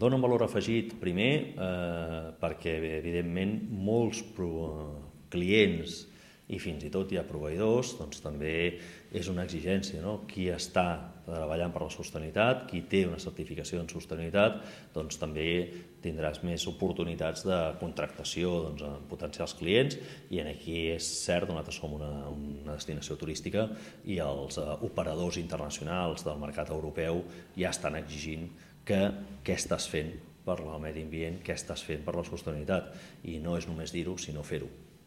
Dona un valor afegit, primer, perquè, evidentment, molts clients i fins i tot hi ha proveïdors, doncs també és una exigència, no? Qui està treballant per la sostenibilitat, qui té una certificació en sostenibilitat, doncs també tindràs més oportunitats de contractació amb potencials clients, i aquí és cert, nosaltres som una destinació turística i els operadors internacionals del mercat europeu ja estan exigint que què estàs fent per al medi ambient, què estàs fent per la sostenibilitat, i no és només dir-ho, sinó fer-ho.